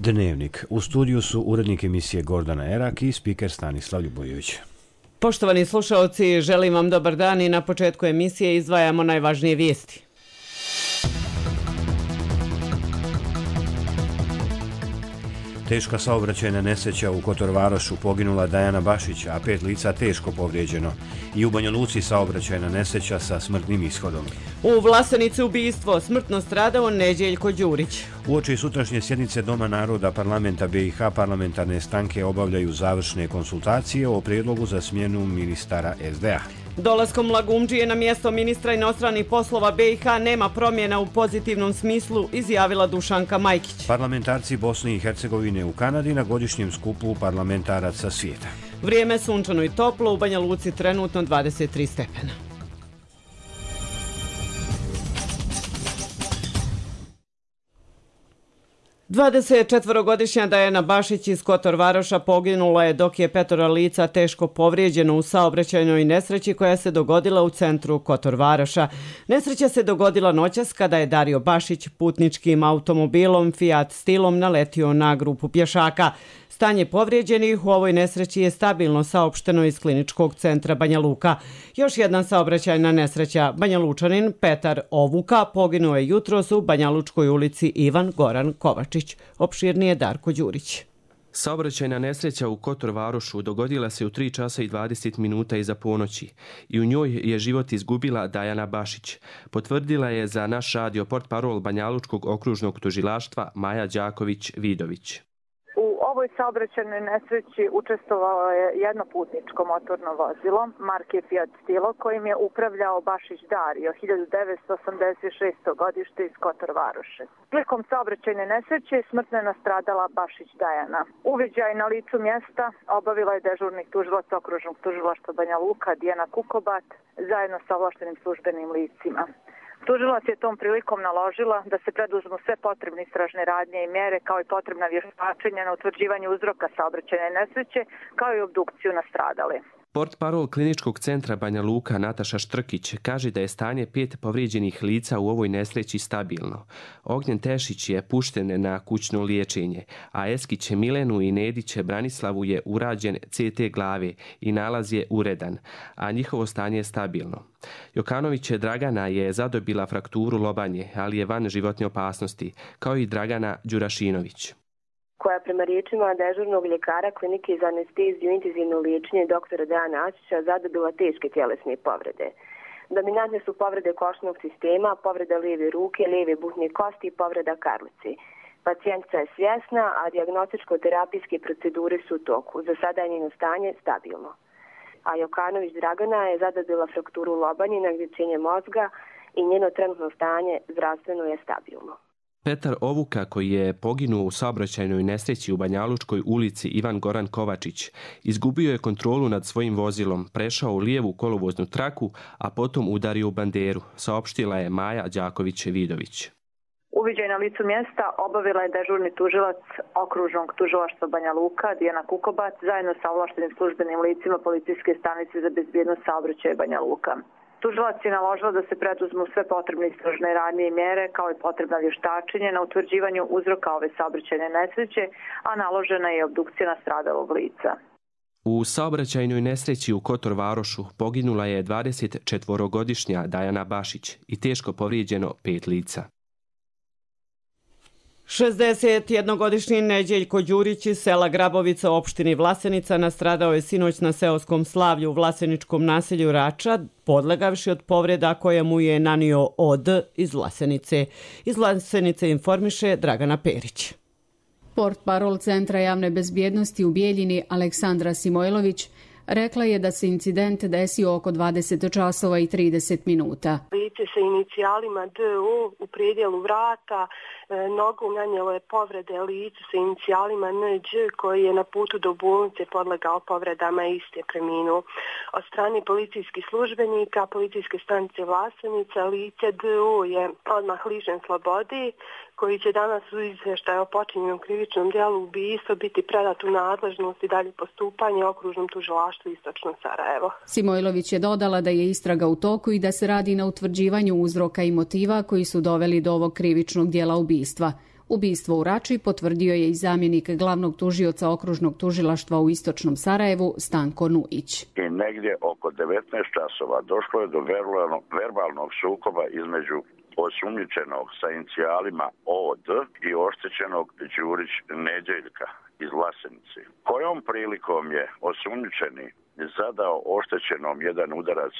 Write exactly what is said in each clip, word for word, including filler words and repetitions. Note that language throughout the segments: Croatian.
Dnevnik. U studiju su urednik emisije Gordana Erak i spiker Stanislav Ljubojević. Poštovani slušaoci, želim vam dobar dan i na početku emisije izdvajamo najvažnije vijesti. Teška saobraćajna nesreća u Kotorvarošu, poginula Dajana Bašić, a pet lica teško povrijeđeno. I u Banja Luci saobraćajna nesreća sa smrtnim ishodom. U Vlasenici ubistvo, smrtno stradao Neđeljko Đurić. Uoči sutrašnje sjednice Doma naroda parlamenta B i H parlamentarne stranke obavljaju završne konsultacije o prijedlogu za smjenu ministara S D A. Dolaskom Lagumdžije na mjesto ministra inostranih poslova B i H nema promjena u pozitivnom smislu, izjavila Dušanka Majkić. Parlamentarci Bosne i Hercegovine u Kanadi na godišnjem skupu parlamentaraca svijeta. Vrijeme sunčano i toplo, u Banja Luci trenutno dvadeset tri stepena. dvadesetčetvorogodišnja Dajana Bašić iz Kotorvaroša poginula je dok je petoro lica teško povrijeđeno u saobraćajnoj nesreći koja se dogodila u centru Kotorvaroša. Nesreća se dogodila noćas kada je Dario Bašić putničkim automobilom Fiat Stilom naletio na grupu pješaka. Stanje povrijeđenih u ovoj nesreći je stabilno, saopšteno iz kliničkog centra Banja Luka. Još jedna saobraćajna nesreća. Banja Lučanin Petar Ovuka poginuo je jutros u Banja Lučkoj ulici Ivan Goran Kovačić. Opširnije Darko Đurić. Saobraćajna nesreća u Kotorvarošu dogodila se u tri časa i dvadeset minuta iza ponoći i u njoj je život izgubila Dajana Bašić. Potvrdila je za naš radio portparol Banja Lučkog okružnog tužilaštva Maja Đaković-Vidović. U ovoj saobraćajnoj nesreći učestvovalo je jedno putničko motorno vozilo marke Fiat Stilo kojim je upravljao Bašić Dario, hiljadu devetsto osamdeset šesto godište iz Kotorvaroše. Prilikom saobraćajne nesreće smrtno je nastradala Bašić Dajana. Uviđaj na licu mjesta obavila je dežurni tužilac okružnog tužilaštva Banja Luka Dijana Kukobat zajedno sa ovlaštenim službenim licima. Tužilac je tom prilikom naložila da se preduzmu sve potrebne istražne radnje i mjere kao i potrebna vještačenja na utvrđivanju uzroka saobraćajne nesreće kao i obdukciju nastradale. Portparol kliničkog centra Banja Luka Nataša Štrkić kaže da je stanje pet povrijeđenih lica u ovoj nesreći stabilno. Ognjen Tešić je pušten na kućno liječenje, a Eskić Milenu i Nedić Branislavu je urađen C T glave i nalaz je uredan, a njihovo stanje je stabilno. Jokanović Dragana je zadobila frakturu lobanje, ali je van životne opasnosti, kao i Dragana Đurašinović, koja prema riječima dežurnog ljekara klinike za anesteziju i intenzivno liječenje doktora Dejana Ačića zadobila teške tjelesne povrede. Dominantne su povrede košnog sistema, povreda lijeve ruke, lijeve butne kosti i povreda karlice. Pacijentica je svjesna, a dijagnostičko-terapijske procedure su u toku. Za sada je njeno stanje stabilno. A Jokanović Dragana je zadobila frakturu lobanje na gdječenje mozga i njeno trenutno stanje zdravstveno je stabilno. Petar Ovuka, koji je poginuo u saobraćajnoj nesreći u Banja Lučkoj ulici Ivan Goran Kovačić, izgubio je kontrolu nad svojim vozilom, prešao u lijevu kolovoznu traku, a potom udario u banderu, saopštila je Maja Đaković-Vidović. Uviđaj na licu mjesta obavila je dežurni tužilac okružnog tužilaštva Banja Luka Dijana Kukobat zajedno sa ovlaštenim službenim licima policijske stanice za bezbjednost saobraćaja Banja Luka. Tužilac je naložila da se preduzmu sve potrebne istražne radnje i mjere kao i potrebna vještačenje na utvrđivanju uzroka ove saobraćajne nesreće, a naložena je obdukcija nastradalog lica. U saobraćajnoj nesreći u Kotorvarošu poginula je dvadesetčetvorogodišnja Dajana Bašić i teško povrijeđeno pet lica. šezdesetjednogodišnji Neđeljko Đurić iz sela Grabovica u opštini Vlasenica nastradao je sinoć na seoskom slavlju u vlaseničkom naselju Rača, podlegavši od povreda koje mu je nanio O D iz Vlasenice. Iz Vlasenice informiše Dragana Perić. Portparol Centra javne bezbjednosti u Bijeljini Aleksandra Simojlović rekla je da se incident desio oko dvadeset časova i trideset minuta. Lice sa inicijalima D U u predjelu vrata, e, nogom nanijelo je povrede licu sa inicijalima N Đ koji je na putu do bolnice podlegao povredama i iste preminuo. Od strane policijskih službenika, policijske stanice Vlasenica, lice D U je odmah lišen slobodi, koji će danas u izvještaju o počinjenom krivičnom djelu ubistva biti predat u nadležnost i dalje postupanje okružnom tužilaštvu Istočno Sarajevo. Simojlović je dodala da je istraga u toku i da se radi na utvrđivanju uzroka i motiva koji su doveli do ovog krivičnog djela ubistva. Ubistvo u Rači potvrdio je i zamjenik glavnog tužioca okružnog tužilaštva u istočnom Sarajevu Stanko Nuić. I negdje oko devetnaest časova došlo je do verbalnog, verbalnog sukoba između osumnjičenog sa inicijalima O D i oštećenog Đurić Neđeljka iz Vlasenice. Kojom prilikom je osumnjičeni zadao oštećenom jedan udarac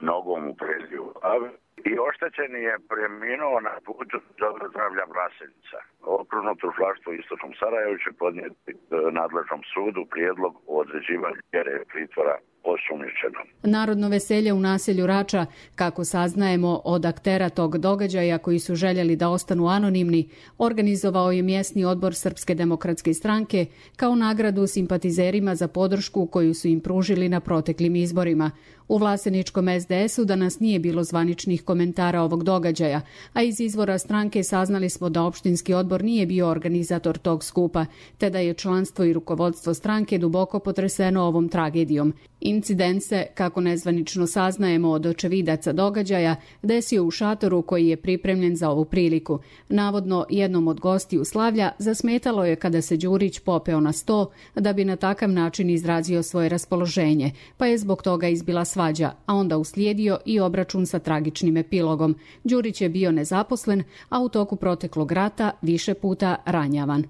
nogom u prednju glavu i oštećeni je preminuo na putu do zdravlja Vlasenica. Okružno tužilaštvo u istočnom Sarajevu će podnijeti nadležnom sudu prijedlog o određivanju mjere pritvora osumnjičenom. Narodno veselje u naselju Rača, kako saznajemo od aktera tog događaja koji su željeli da ostanu anonimni, organizovao je mjesni odbor Srpske demokratske stranke kao nagradu simpatizerima za podršku koju su im pružili na proteklim izborima. U Vlaseničkom S D S-u danas nije bilo zvaničnih komentara ovog događaja, a iz izvora stranke saznali smo da opštinski odbor nije bio organizator tog skupa, te da je članstvo i rukovodstvo stranke duboko potreseno ovom tragedijom. Incident se, kako nezvanično saznajemo od očevidaca događaja, desio u šatoru koji je pripremljen za ovu priliku. Navodno, jednom od gostiju slavlja zasmetalo je kada se Đurić popeo na sto da bi na takav način izrazio svoje raspoloženje, pa je zbog toga izbila svađa, a onda uslijedio i obračun sa tragičnim epilogom. Đurić je bio nezaposlen, a u toku proteklog rata više puta ranjavan.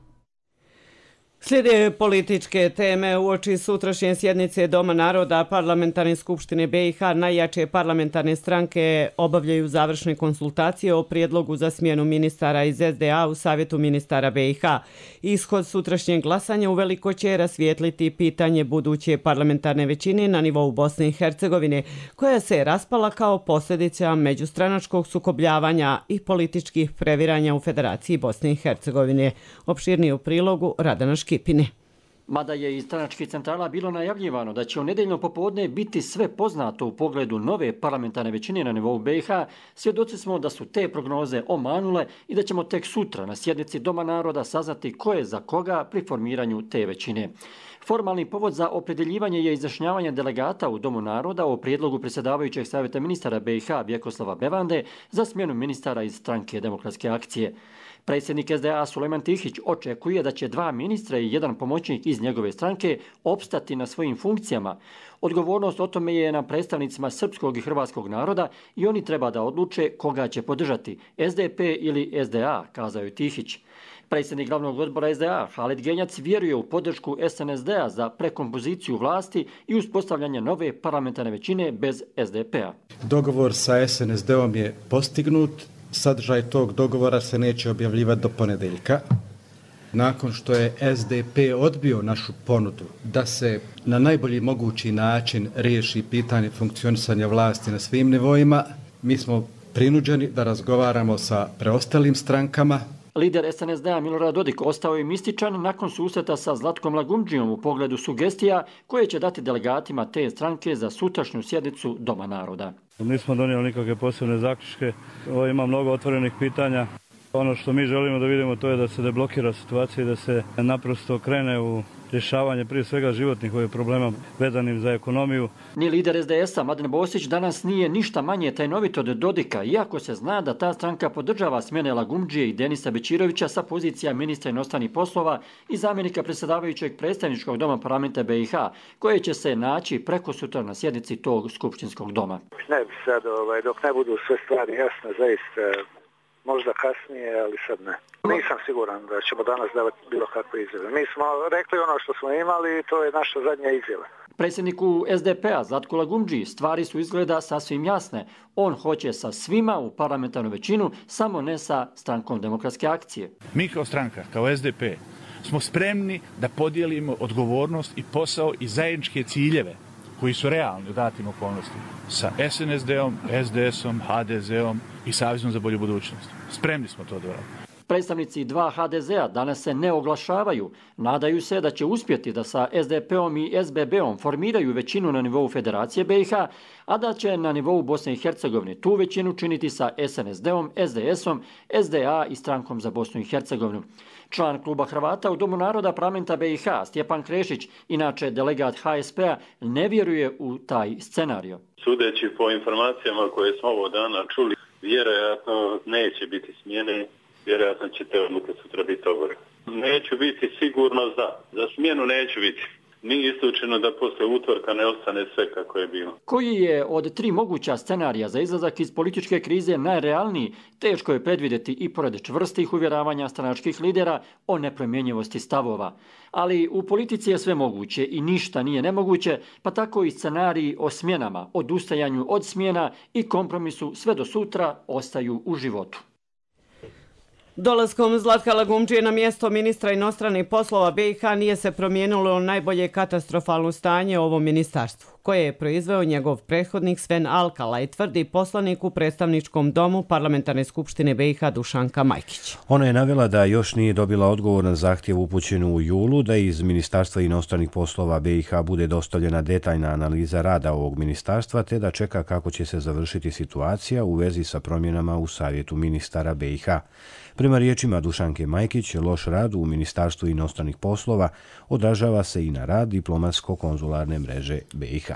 Slijede političke teme. Uoči sutrašnje sjednice Doma naroda Parlamentarne skupštine B i H najjače parlamentarne stranke obavljaju završne konsultacije o prijedlogu za smjenu ministara iz S D A u Savjetu ministara B i H. Ishod sutrašnjeg glasanja uveliko će rasvijetliti pitanje buduće parlamentarne većine na nivou Bosne i Hercegovine, koja se raspala kao posljedica međustranačkog sukobljavanja i političkih previranja u Federaciji Bosne i Hercegovine. Opširnije u prilogu Radana Škipine. Mada je iz stranačkih centrala bilo najavljivano da će u nedeljno popodne biti sve poznato u pogledu nove parlamentarne većine na nivou B i H, svjedoci smo da su te prognoze omanule i da ćemo tek sutra na sjednici Doma naroda saznati ko je za koga pri formiranju te većine. Formalni povod za opredjeljivanje je izjašnjavanje delegata u Domu naroda o prijedlogu predsjedavajućeg savjeta ministara B i H Vjekoslava Bevande za smjenu ministara iz stranke Demokratske akcije. Predsjednik S D A Sulejman Tihić očekuje da će dva ministra i jedan pomoćnik iz njegove stranke opstati na svojim funkcijama. Odgovornost o tome je na predstavnicima srpskog i hrvatskog naroda i oni treba da odluče koga će podržati, S D P ili S D A, kazao je Tihić. Predsjednik glavnog odbora S D A, Halid Genjac, vjeruje u podršku S N S D-a za prekompoziciju vlasti i uspostavljanje nove parlamentarne većine bez S D P-a. Dogovor sa S N S D-om je postignut. Sadržaj tog dogovora se neće objavljivati do ponedjeljka. Nakon što je S D P odbio našu ponudu da se na najbolji mogući način riješi pitanje funkcionisanja vlasti na svim nivoima, mi smo prinuđeni da razgovaramo sa preostalim strankama. Lider S N S D-a Milorad Dodik ostao je mističan nakon susreta sa Zlatkom Lagundžijom u pogledu sugestija koje će dati delegatima te stranke za sutrašnju sjednicu Doma naroda. Nismo donijeli nikakve posebne zaključke. Ovo ima mnogo otvorenih pitanja. Ono što mi želimo da vidimo to je da se deblokira situacija i da se naprosto krene u rješavanje prije svega životnih ovih problema vezanim za ekonomiju. Ni lider S D S-a Mladen Bosić danas nije ništa manje tajnovit od Dodika, iako se zna da ta stranka podržava smjene Lagundžije i Denisa Bećirovića sa pozicija ministra inostranih poslova i zamjenika predsjedavajućeg predstavničkog doma parlamenta B i H, koje će se naći preko sutra na sjednici tog skupštinskog doma. Ne bi sad, ovaj, dok ne budu sve stvari jasne, zaista možda kasnije, ali sad ne. Nisam siguran da ćemo danas davati bilo kakve izjave. Mi smo rekli ono što smo imali i to je naša zadnja izjava. Predsjedniku S D P-a Zlatku Lagundžiji stvari su izgleda sasvim jasne. On hoće sa svima u parlamentarnu većinu, samo ne sa strankom Demokratske akcije. Mi kao stranka, kao S D P, smo spremni da podijelimo odgovornost i posao i zajedničke ciljeve koji su realni u datim okolnostima sa S N S D-om, S D S-om, H D Z-om i Savezom za bolju budućnost. Spremni smo to da radimo. Predstavnici dva H D Z-a danas se ne oglašavaju. Nadaju se da će uspjeti da sa S D P-om i S B B-om formiraju većinu na nivou Federacije B i H, a da će na nivou Bosne i Hercegovine tu većinu činiti sa S N S D-om, S D S-om, S D A i strankom za Bosnu i Hercegovinu. Član kluba Hrvata u Domu naroda parlamenta B i H, Stjepan Krešić, inače delegat H S P-a, ne vjeruje u taj scenario. Sudeći po informacijama koje smo ovo dana čuli, vjerojatno neće biti smjene vjerojatno će te odluke sutra biti obore. Neću biti sigurno za. Za smjenu neću biti. Nije isključeno da posle utorka ne ostane sve kako je bilo. Koji je od tri moguća scenarija za izlazak iz političke krize najrealniji, teško je predvidjeti i pored čvrstih uvjeravanja stranačkih lidera o nepromjenjivosti stavova. Ali u politici je sve moguće i ništa nije nemoguće, pa tako i scenariji o smjenama, odustajanju od smjena i kompromisu sve do sutra ostaju u životu. Dolaskom Zlatka Lagumdžije na mjesto ministra inostranih poslova B i H nije se promijenilo najbolje katastrofalno stanje u ovom ministarstvu, koje je proizveo njegov prethodnik Sven Alkalaj, tvrdi poslanik u predstavničkom domu Parlamentarne skupštine B i H Dušanka Majkić. Ona je navela da još nije dobila odgovor na zahtjev upućenu u julu da iz Ministarstva inostranih poslova B i H bude dostavljena detaljna analiza rada ovog ministarstva, te da čeka kako će se završiti situacija u vezi sa promjenama u Savjetu ministara B i H. Prema riječima Dušanke Majkić, loš rad u Ministarstvu inostranih poslova odražava se i na rad diplomatsko-konzularne mreže B i H.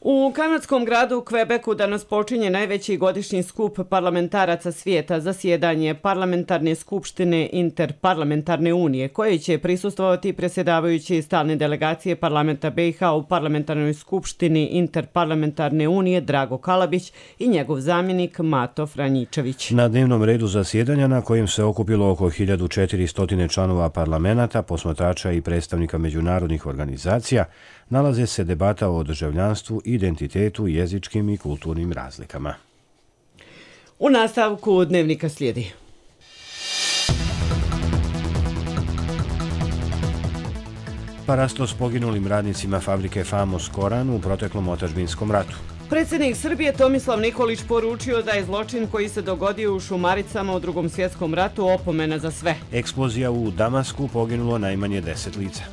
U kanadskom gradu Kvebeku danas počinje najveći godišnji skup parlamentaraca svijeta, zasjedanje Parlamentarne skupštine Interparlamentarne unije, koje će prisustvovati predsjedavajući stalne delegacije parlamenta B i H u Parlamentarnoj skupštini Interparlamentarne unije Drago Kalabić i njegov zamjenik Mato Franjičević. Na dnevnom redu zasjedanja, na kojem se okupilo oko hiljadu četiristo članova parlamenta, posmatrača i predstavnika međunarodnih organizacija, nalaze se debata o državljanstvu, identitetu, jezičkim i kulturnim razlikama. U nastavku dnevnika slijedi. Parasto s poginulim radnicima fabrike Famos Koran u proteklom otadžbinskom ratu. Predsjednik Srbije Tomislav Nikolić poručio da je zločin koji se dogodio u Šumaricama u Drugom svjetskom ratu opomena za sve. Eksplozija u Damasku, poginulo najmanje deset lica.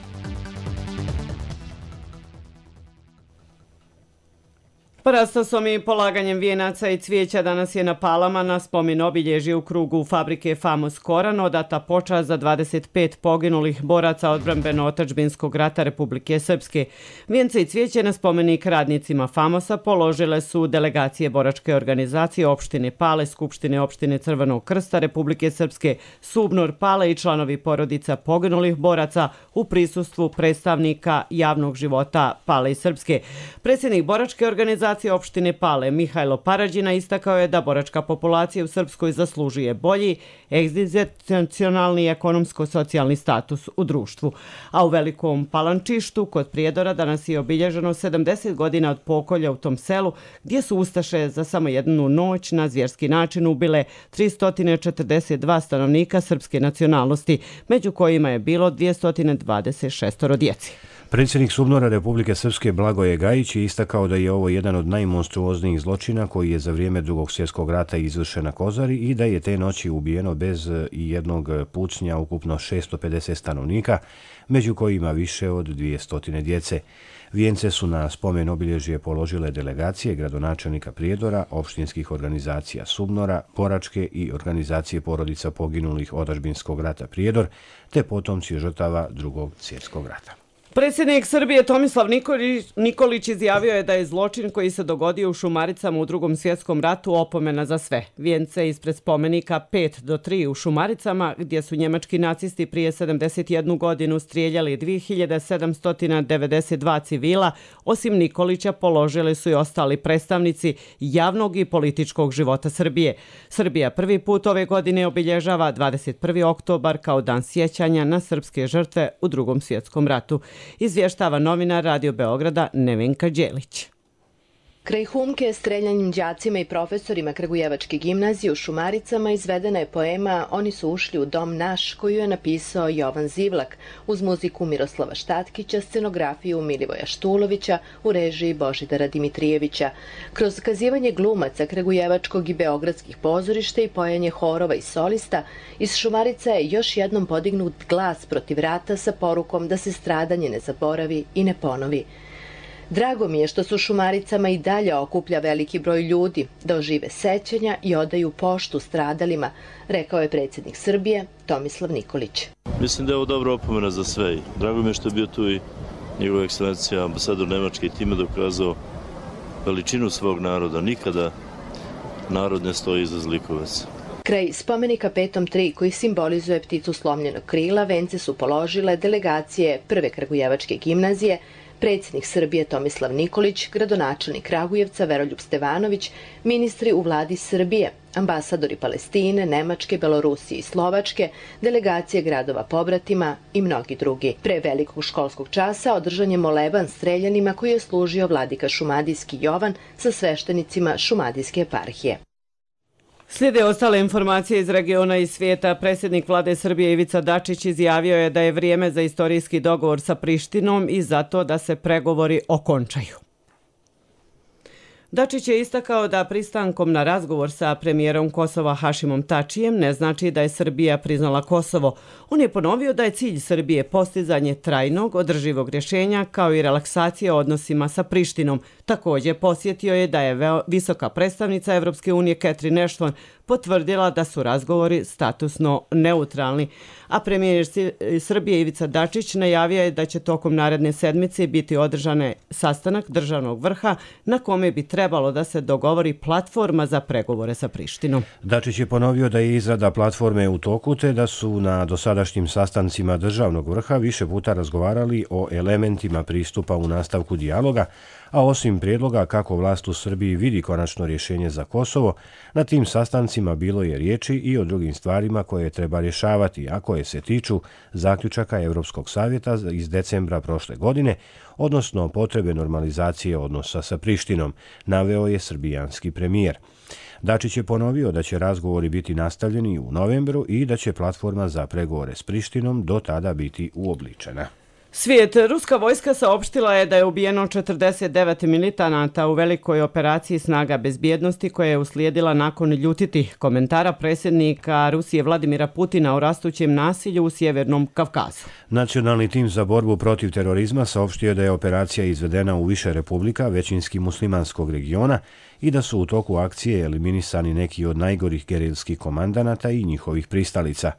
Parastosom i polaganjem vijenaca i cvijeća danas je na Palama na spomen obilježje u krugu fabrike Famos Koran odata počast za dvadeset pet poginulih boraca odbrambeno-otadžbinskog rata Republike Srpske. Vijence i cvijeće na spomenik radnicima Famosa položile su delegacije boračke organizacije opštine Pale, Skupštine opštine Crvenog krsta Republike Srpske, Subnor Pale i članovi porodica poginulih boraca u prisustvu predstavnika javnog života Pale i Srpske. Predsjednik boračke organizacije opštine Pale Mihajlo Parađina istakao je da boračka populacija u Srpskoj zaslužuje bolji egzistencionalni i ekonomsko-socijalni status u društvu. A u Velikom Palančištu kod Prijedora danas je obilježeno sedamdeset godina od pokolja u tom selu, gdje su ustaše za samo jednu noć na zvjerski način ubile tristo četrdeset dva stanovnika srpske nacionalnosti, među kojima je bilo dvjesto dvadeset šest djece. Predsjednik Subnora Republike Srpske Blagoje Gajić je istakao da je ovo jedan od najmonstruoznijih zločina koji je za vrijeme Drugog svjetskog rata izvršen na Kozari i da je te noći ubijeno bez i jednog pucnja ukupno šesto pedeset stanovnika, među kojima više od dvjesto djece. Vijence su na spomen obilježje položile delegacije gradonačelnika Prijedora, opštinskih organizacija Subnora, boračke i organizacije porodica poginulih otadžbinskog rata Prijedor, te potomci žrtava Drugog svjetskog rata. Predsjednik Srbije Tomislav Nikolić izjavio je da je zločin koji se dogodio u Šumaricama u Drugom svjetskom ratu opomena za sve. Vijence ispred spomenika pet do tri u Šumaricama, gdje su njemački nacisti prije sedamdeset jednu godinu strijeljali dvije hiljade sedamsto devedeset dva civila, osim Nikolića položili su i ostali predstavnici javnog i političkog života Srbije. Srbija prvi put ove godine obilježava dvadeset prvi oktobar kao dan sjećanja na srpske žrtve u Drugom svjetskom ratu. Izvještava novinar Radio Beograda Nevenka Đelić. Kraj Humke, streljanjem đacima i profesorima Kragujevačke gimnazije u Šumaricama izvedena je poema Oni su ušli u dom naš, koju je napisao Jovan Zivlak, uz muziku Miroslava Štatkića, scenografiju Milivoja Štulovića, u režiji Božidara Dimitrijevića. Kroz kazivanje glumaca Kragujevačkog i Beogradskih pozorišta i pojanje horova i solista, iz Šumarica je još jednom podignut glas protiv rata sa porukom da se stradanje ne zaboravi i ne ponovi. Drago mi je što su Šumaricama i dalje okuplja veliki broj ljudi, da ožive sećanja i odaju poštu stradalima, rekao je predsjednik Srbije Tomislav Nikolić. Mislim da je ovo dobra opomena za sve. Drago mi je što je bio tu i njegova ekscelencija ambasador Nemačke i time dokazao veličinu svog naroda. Nikada narod ne stoji iza zlikovaca. Kraj spomenika Petom tri, koji simbolizuje pticu slomljenog krila, vence su položile delegacije Prve Kragujevačke gimnazije, predsjednik Srbije Tomislav Nikolić, gradonačelnik Kragujevca Veroljub Stevanović, ministri u vladi Srbije, ambasadori Palestine, Nemačke, Belorusije i Slovačke, delegacije gradova pobratima i mnogi drugi. Pre velikog školskog časa održan je moleban streljanima koji je služio vladika Šumadijski Jovan sa sveštenicima Šumadijske eparhije. Slijede ostale informacije iz regiona i svijeta. Predsjednik vlade Srbije Ivica Dačić izjavio je da je vrijeme za istorijski dogovor sa Prištinom i zato da se pregovori okončaju. Dačić je istakao da pristankom na razgovor sa premijerom Kosova Hašimom Tačijem ne znači da je Srbija priznala Kosovo. On je ponovio da je cilj Srbije postizanje trajnog, održivog rješenja kao i relaksacija odnosima sa Prištinom. Također posjetio je da je visoka predstavnica Evropske unije Catherine Ashton potvrdila da su razgovori statusno neutralni. A premijer Srbije Ivica Dačić najavio je da će tokom naredne sedmice biti održane sastanak državnog vrha na kome bi trebalo da se dogovori platforma za pregovore sa Prištinom. Dačić je ponovio da je izrada platforme u toku te da su na dosadašnjim sastancima državnog vrha više puta razgovarali o elementima pristupa u nastavku dijaloga, a osim prijedloga kako vlast u Srbiji vidi konačno rješenje za Kosovo, na tim sastancima bilo je riječi i o drugim stvarima koje treba rješavati, a koje se tiču zaključaka Evropskog savjeta iz decembra prošle godine, odnosno potrebe normalizacije odnosa sa Prištinom, naveo je srbijanski premijer. Dačić je ponovio da će razgovori biti nastavljeni u novembru i da će platforma za pregovore s Prištinom do tada biti uobličena. Svijet. Ruska vojska saopštila je da je ubijeno četrdeset devet militanata u velikoj operaciji snaga bezbjednosti koja je uslijedila nakon ljutitih komentara predsjednika Rusije Vladimira Putina o rastućem nasilju u Sjevernom Kavkazu. Nacionalni tim za borbu protiv terorizma saopštio da je operacija izvedena u više republika većinski muslimanskog regiona i da su u toku akcije eliminisani neki od najgorih gerilskih komandanata i njihovih pristalica.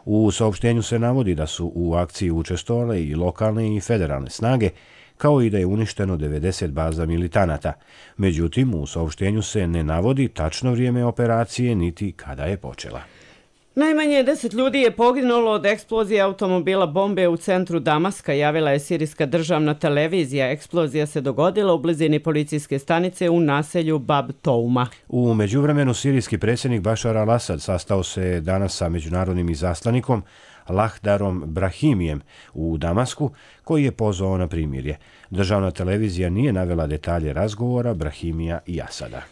U saopštenju se navodi da su u akciji učestvovale i lokalne i federalne snage, kao i da je uništeno devedeset baza militanata. Međutim, u saopštenju se ne navodi tačno vrijeme operacije niti kada je počela. Najmanje deset ljudi je poginulo od eksplozije automobila bombe u centru Damaska, javila je sirijska državna televizija. Eksplozija se dogodila u blizini policijske stanice u naselju Bab Touma. U međuvremenu sirijski predsjednik Bašar al-Asad sastao se danas sa međunarodnim izaslanikom Lahdarom Brahimijem u Damasku, koji je pozvao na primirje. Državna televizija nije navela detalje razgovora Brahimija i Asada.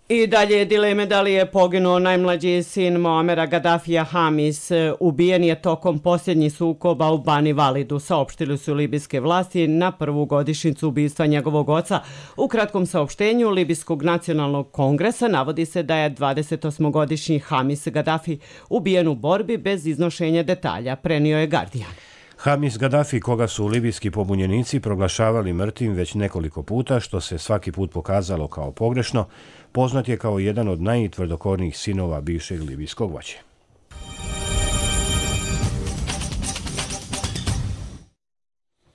I dalje dileme da li je poginuo najmlađi sin Moamera Gaddafija Hamis. Ubijen je tokom posljednjih sukoba u Bani Validu, saopštili su libijske vlasti na prvu godišnjicu ubistva njegovog oca. U kratkom saopštenju Libijskog nacionalnog kongresa navodi se da je dvadesetosmogodišnji Hamis Gaddafi ubijen u borbi bez iznošenja detalja, prenio je Guardian. Hamis Gaddafi, koga su libijski pobunjenici proglašavali mrtvim već nekoliko puta, što se svaki put pokazalo kao pogrešno, poznat je kao jedan od najtvrdokornijih sinova bivšeg libijskog vođe.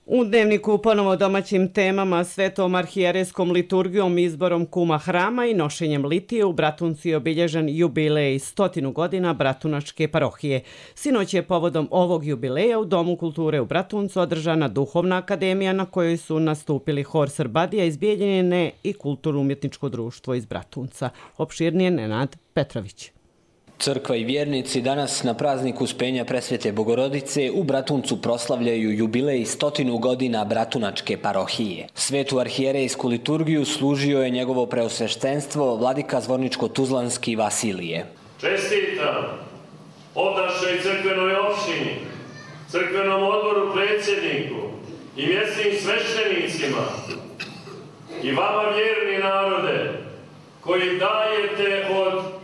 U dnevniku ponovo domaćim temama, svetom arhijerejskom liturgijom, izborom kuma hrama i nošenjem litije u Bratuncu je obilježen jubilej stotinu godina Bratunačke parohije. Sinoć je povodom ovog jubileja u Domu kulture u Bratuncu održana duhovna akademija na kojoj su nastupili hor Srbadija iz Bijeljine i kulturno-umjetničko društvo iz Bratunca. Opširnije Nenad Petrović. Crkva i vjernici danas na prazniku Uspenja Presvete Bogorodice u Bratuncu proslavljaju jubilej stotinu godina Bratunačke parohije. Svetu arhijerejsku liturgiju služio je njegovo preosveštenstvo vladika Zvorničko-Tuzlanski Vasilije. Čestitam ovdašnjoj crkvenoj opštini, crkvenom odboru predsjedniku i mjesnim sveštenicima i vama vjerni narode koji dajete od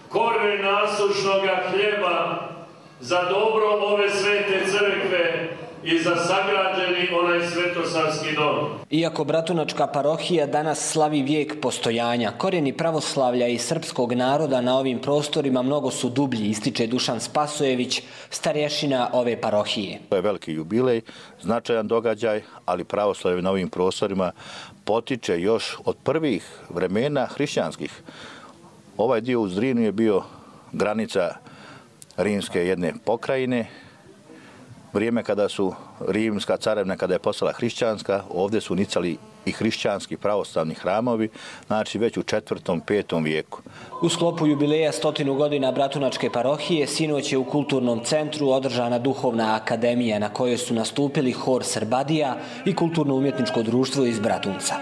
koren nasušnoga hljeba za dobro ove svete crkve i za sagrađeni onaj svetosavski dom. Iako Bratunačka parohija danas slavi vijek postojanja, korijeni pravoslavlja i srpskog naroda na ovim prostorima mnogo su dublji, ističe Dušan Spasojević, starješina ove parohije. To je veliki jubilej, značajan događaj, ali pravoslavlje na ovim prostorima potiče još od prvih vremena hrišćanskih. Ovaj dio u Zrinu je bio granica rimske jedne pokrajine. Vrijeme kada su rimska carevna, kada je postala hrišćanska, ovdje su nicali i hrišćanski pravoslavni hramovi, znači već u četvrtom, petom vijeku. U sklopu jubileja stotinu godina Bratunačke parohije sinoć je u kulturnom centru održana duhovna akademija na kojoj su nastupili hor Srbadija i kulturno-umjetničko društvo iz Bratunca.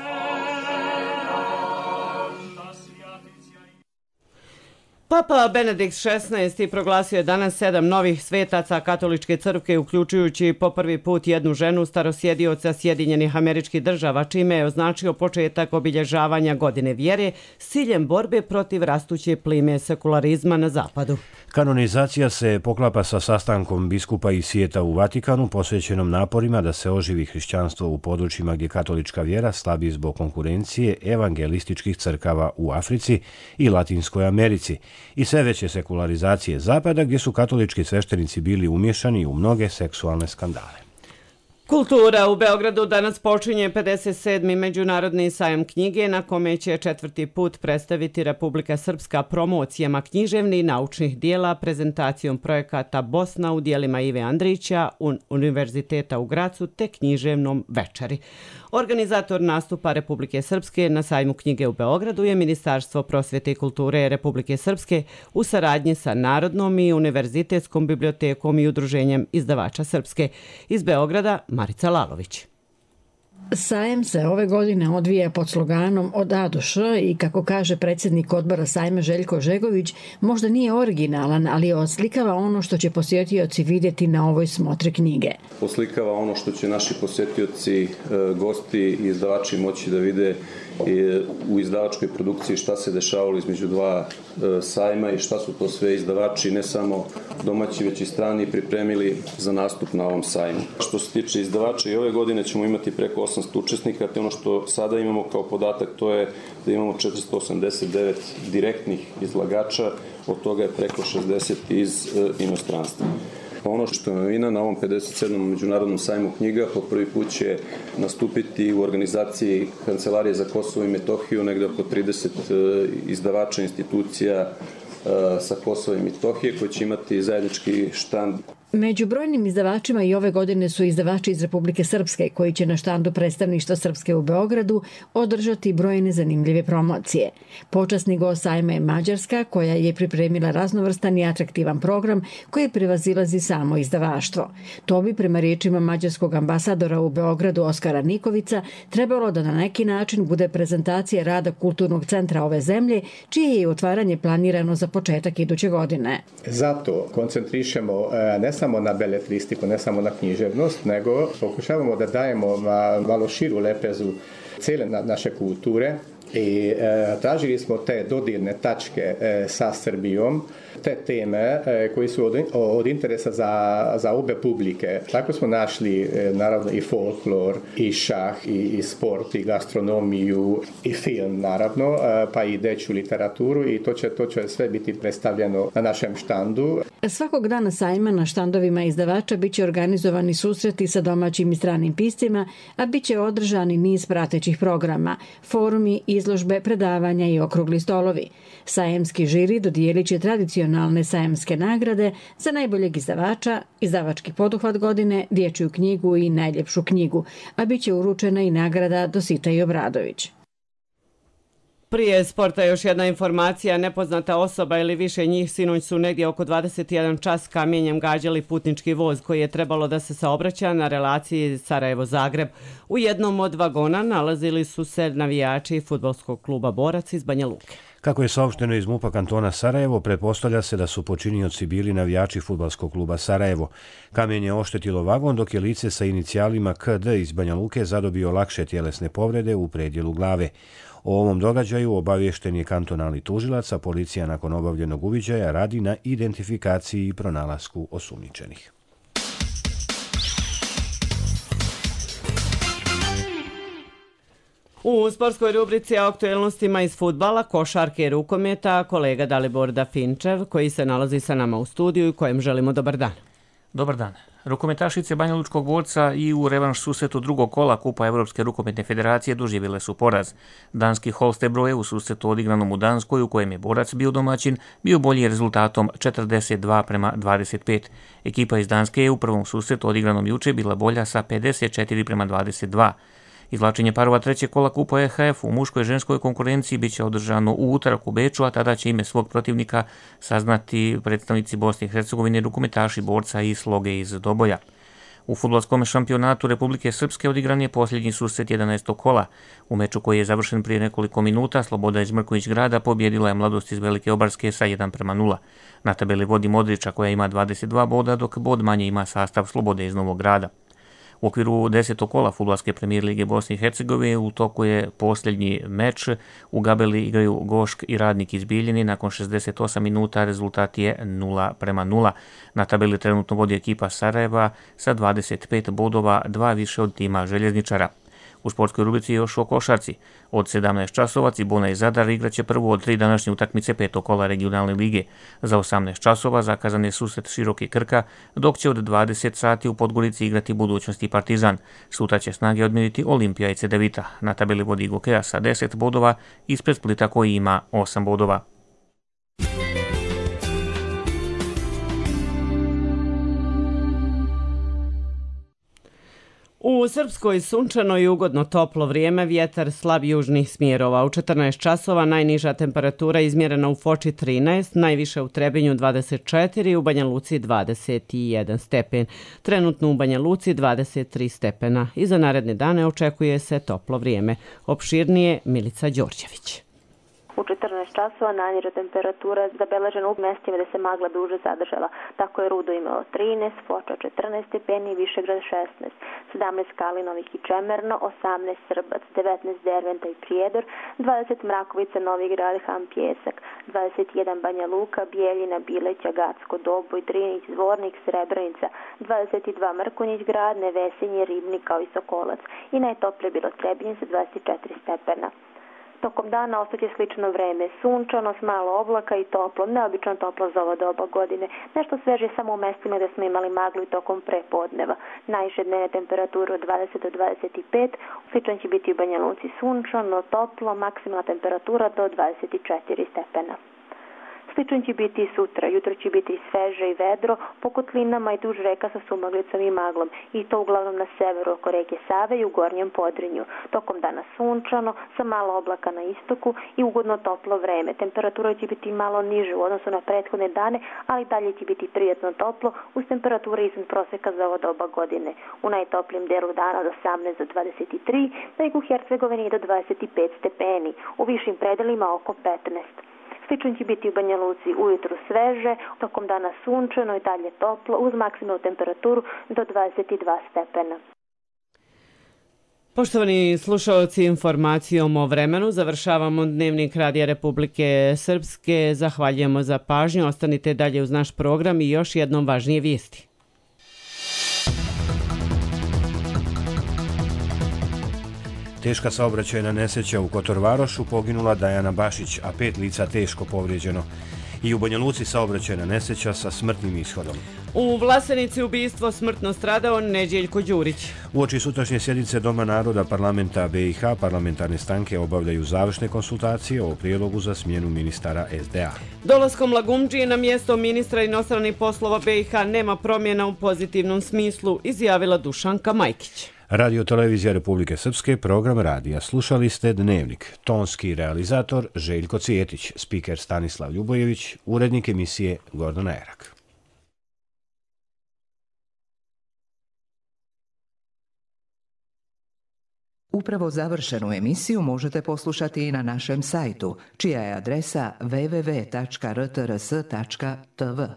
Papa Benedikt šesnaesti proglasio je danas sedam novih svetaca katoličke crkve, uključujući po prvi put jednu ženu starosjedioca Sjedinjenih Američkih Država, čime je označio početak obilježavanja godine vjere s ciljem borbe protiv rastuće plime sekularizma na zapadu. Kanonizacija se poklapa sa sastankom biskupa i svijeta u Vatikanu posvećenom naporima da se oživi hrišćanstvo u područjima gdje katolička vjera slabi zbog konkurencije evangelističkih crkava u Africi i Latinskoj Americi i sve veće sekularizacije Zapada gdje su katolički sveštenici bili umješani u mnoge seksualne skandale. Kultura u Beogradu danas počinje pedeset sedmi Međunarodni sajam knjige na kome će četvrti put predstaviti Republika Srpska promocijama književnih i naučnih dijela, prezentacijom projekata Bosna u dijelima Ive Andrića, Univerziteta u Gracu te književnom večeri. Organizator nastupa Republike Srpske na sajmu knjige u Beogradu je Ministarstvo prosvjete i kulture Republike Srpske u saradnji sa Narodnom i Univerzitetskom bibliotekom i Udruženjem izdavača Srpske. Iz Beograda Marica Lalović. Sajam se ove godine odvija pod sloganom od A do Š i kako kaže predsjednik odbora sajma Željko Žegović, možda nije originalan, ali oslikava ono što će posjetioci vidjeti na ovoj smotri knjige. Oslikava ono što će naši posjetioci, gosti i izdavači moći da vide u izdavačkoj produkciji šta se dešavalo između dva sajma i šta su to sve izdavači, ne samo domaći već i strani, pripremili za nastup na ovom sajmu. Što se tiče izdavača i ove godine ćemo imati preko osamsto učesnika, te ono što sada imamo kao podatak to je da imamo četiristo osamdeset devet direktnih izlagača, od toga je preko šezdeset iz inostranstva. Ono što je novina na ovom pedeset sedmom Međunarodnom sajmu knjiga, po prvi put će nastupiti u organizaciji Kancelarije za Kosovo i Metohiju, negde oko trideset izdavača institucija sa Kosova i Metohije koji će imati zajednički štand. Među brojnim izdavačima i ove godine su izdavači iz Republike Srpske koji će na štandu predstavništva Srpske u Beogradu održati brojne zanimljive promocije. Počasni gost sajma je Mađarska koja je pripremila raznovrstan i atraktivan program koji prevazilazi samo izdavaštvo. To bi prema riječima mađarskog ambasadora u Beogradu Oskara Nikovica trebalo da na neki način bude prezentacija rada kulturnog centra ove zemlje, čije je otvaranje planirano za početak iduće godine. Zato koncentrišemo ne samo na beletristiku, ne samo na književnost, nego pokušavamo da dajemo malo širu lepezu cijele naše kulture i e, tražili smo te dodirne tačke e, sa Srbijom, te teme e, koji su od, od interesa za, za obe publike. Tako smo našli e, naravno i folklor, i šah, i, i sport, i gastronomiju, i film naravno, e, pa i dečju literaturu i to će, to će sve biti predstavljeno na našem štandu. Svakog dana sajma na štandovima izdavača biće organizovani susreti sa domaćim i stranim piscima, a biće održani niz pratećih programa, forumi, izložbe, predavanja i okrugli stolovi. Sajemski žiri dodijelit će tradicionalne sajemske nagrade za najboljeg izdavača, izdavački poduhvat godine, dječju knjigu i najljepšu knjigu, a biće uručena i nagrada Dosita i Obradović. Prije sporta još jedna informacija. Nepoznata osoba ili više njih sinoć su negdje oko dvadeset jedan čas kamenjem gađali putnički voz koji je trebalo da se saobraća na relaciji Sarajevo-Zagreb. U jednom od vagona nalazili su se navijači fudbalskog kluba Borac iz Banja Luke. Kako je saopšteno iz MUP-a kantona Sarajevo, pretpostavlja se da su počinioci bili navijači fudbalskog kluba Sarajevo. Kamen je oštetilo vagon dok je lice sa inicijalima K D iz Banja Luke zadobio lakše tjelesne povrede u predjelu glave. O ovom događaju obaviješten je kantonalni tužilac, a policija nakon obavljenog uviđaja radi na identifikaciji i pronalasku osumnjičenih. U sportskoj rubrici o aktuelnostima iz fudbala, košarke i rukometa, kolega Dalibor Dafinčev, koji se nalazi sa nama u studiju i kojem želimo dobar dan. Dobar dan. Rukometašice Banja Lučkog Borca i u revanš susretu drugog kola Kupa Evropske rukometne federacije doživjele su poraz. Danski Holstebro je u susretu odigranom u Danskoj, u kojem je Borac bio domaćin, bio bolji rezultatom četrdeset dva prema dvadeset pet. Ekipa iz Danske je u prvom susretu odigranom juče bila bolja sa pedeset četiri prema dvadeset dva. Izvlačenje parova trećeg kola Kupa E H F u muškoj i ženskoj konkurenciji bit će održano u utorak u Beču, a tada će ime svog protivnika saznati predstavnici Bosne i Hercegovine, rukometaši Borca i Sloge iz Doboja. U fudbalskom šampionatu Republike Srpske odigran je posljednji susret jedanaestog kola. U meču koji je završen prije nekoliko minuta, Sloboda iz Mrković grada pobjedila je Mladost iz Velike Obarske sa jedan prema nula. Na tabeli vodi Modriča koja ima dvadeset dva boda, dok bod manje ima sastav Slobode iz Novog Grada. U okviru desetog kola fudbalske premijer lige Bosne i Hercegovine u toku je posljednji meč. U Gabeli igraju Gošk i Radnik iz Bijeljine. Nakon šezdeset osam minuta rezultat je nula prema nula. Na tabeli trenutno vodi ekipa Sarajeva sa dvadeset pet bodova, dva više od tima Željezničara. U sportskoj rubrici još o košarci. Od sedamnaest časova Cibona i Zadar igraće prvu od tri današnje utakmice petog kola regionalne lige. Za osamnaest časova zakazan je susret Široki Krka, dok će od dvadeset sati u Podgorici igrati Budućnost i Partizan. Sutra će snage odmjeriti Olimpija i Cedevita. Na tabeli vodi Gokeja sa deset bodova, ispred Splita koji ima osam bodova. U Srpskoj sunčano i ugodno toplo vrijeme, vjetar slab južnih smjerova. U četrnaest časova najniža temperatura izmjerena u Foči trinaest, najviše u Trebinju dvadeset četiri, u Banja Luci dvadeset jedan stepen. Trenutno u Banja Luci dvadeset tri stepena. I za naredne dane očekuje se toplo vrijeme. Opširnije Milica Đorđević. U četrnaest časova najniža temperatura zabeležena u mjestima gdje se magla duže zadržala. Tako je Rudo imao trinaest, Foča četrnaest stepeni, Višegrad šesnaest, sedamnaest Kalinovih i Čemerno, osamnaest Srbac, devetnaest Derventa i Prijedor, dvadeset Mrakovica, Novi Grad, Han Pjesak, dvadeset jedan Banja Luka, Bijeljina, Bileća, Gacko, Doboj, Drinić, Zvornik, Srebrenica, dvadeset dva Mrkonjić Grad, Nevesinje, Ribnik kao i Sokolac. I najtoplije bilo Trebinje sa dvadeset četiri stepena. Tokom dana ostaće slično vreme, sunčano, s malo oblaka i toplo, neobično toplo za ovo doba godine. Nešto sveže samo u mestima gdje smo imali maglu i tokom prepodneva. Najviše dnevne temperature od dvadeset do dvadeset pet, slično će biti u Banja Luci sunčano, toplo, maksimalna temperatura do dvadeset četiri stepena. Slično će biti i sutra, jutro će biti sveže i vedro, po kotlinama i duž reka sa sumaglicom i maglom, i to uglavnom na severu oko reke Save i u gornjem Podrinju. Tokom dana sunčano, sa malo oblaka na istoku i ugodno toplo vreme. Temperatura će biti malo niže u odnosu na prethodne dane, ali dalje će biti prijatno toplo, uz temperature iznad proseka za ovo doba godine. U najtoplijem delu dana od osamnaest do dvadeset tri, na jugu Hercegovine do dvadeset pet stepeni, u višim predelima oko petnaest. Slično će biti u Banja Luci ujutru sveže, tokom dana sunčano i dalje toplo, uz maksimalnu temperaturu do dvadeset dva stepena. Poštovani slušalci, informacijom o vremenu završavamo Dnevnik Radija Republike Srpske. Zahvaljujemo za pažnju, ostanite dalje uz naš program i još jednom važnije vijesti. Teška saobraćajna nesreća u Kotorvarošu, poginula Dajana Bašić, a pet lica teško povrijeđeno. I u Banja Luci saobraćajna nesreća sa smrtnim ishodom. U Vlasenici ubistvo smrtno stradao Neđeljko Đurić. Uoči sutrašnje sjednice Doma naroda parlamenta B i H parlamentarne stranke obavljaju završne konsultacije o prijedlogu za smjenu ministara S D A. Dolaskom Lagumdžije na mjesto ministra inostranih poslova B i H nema promjena u pozitivnom smislu, izjavila Dušanka Majkić. Radio Televizija Republike Srpske, program radija. Slušali ste Dnevnik. Tonski realizator Željko Cijetić, spiker Stanislav Ljubojević, urednik emisije Gordana Erak. Upravo završenu emisiju možete poslušati i na našem sajtu, čija je adresa w w w tačka r t r s tačka t v.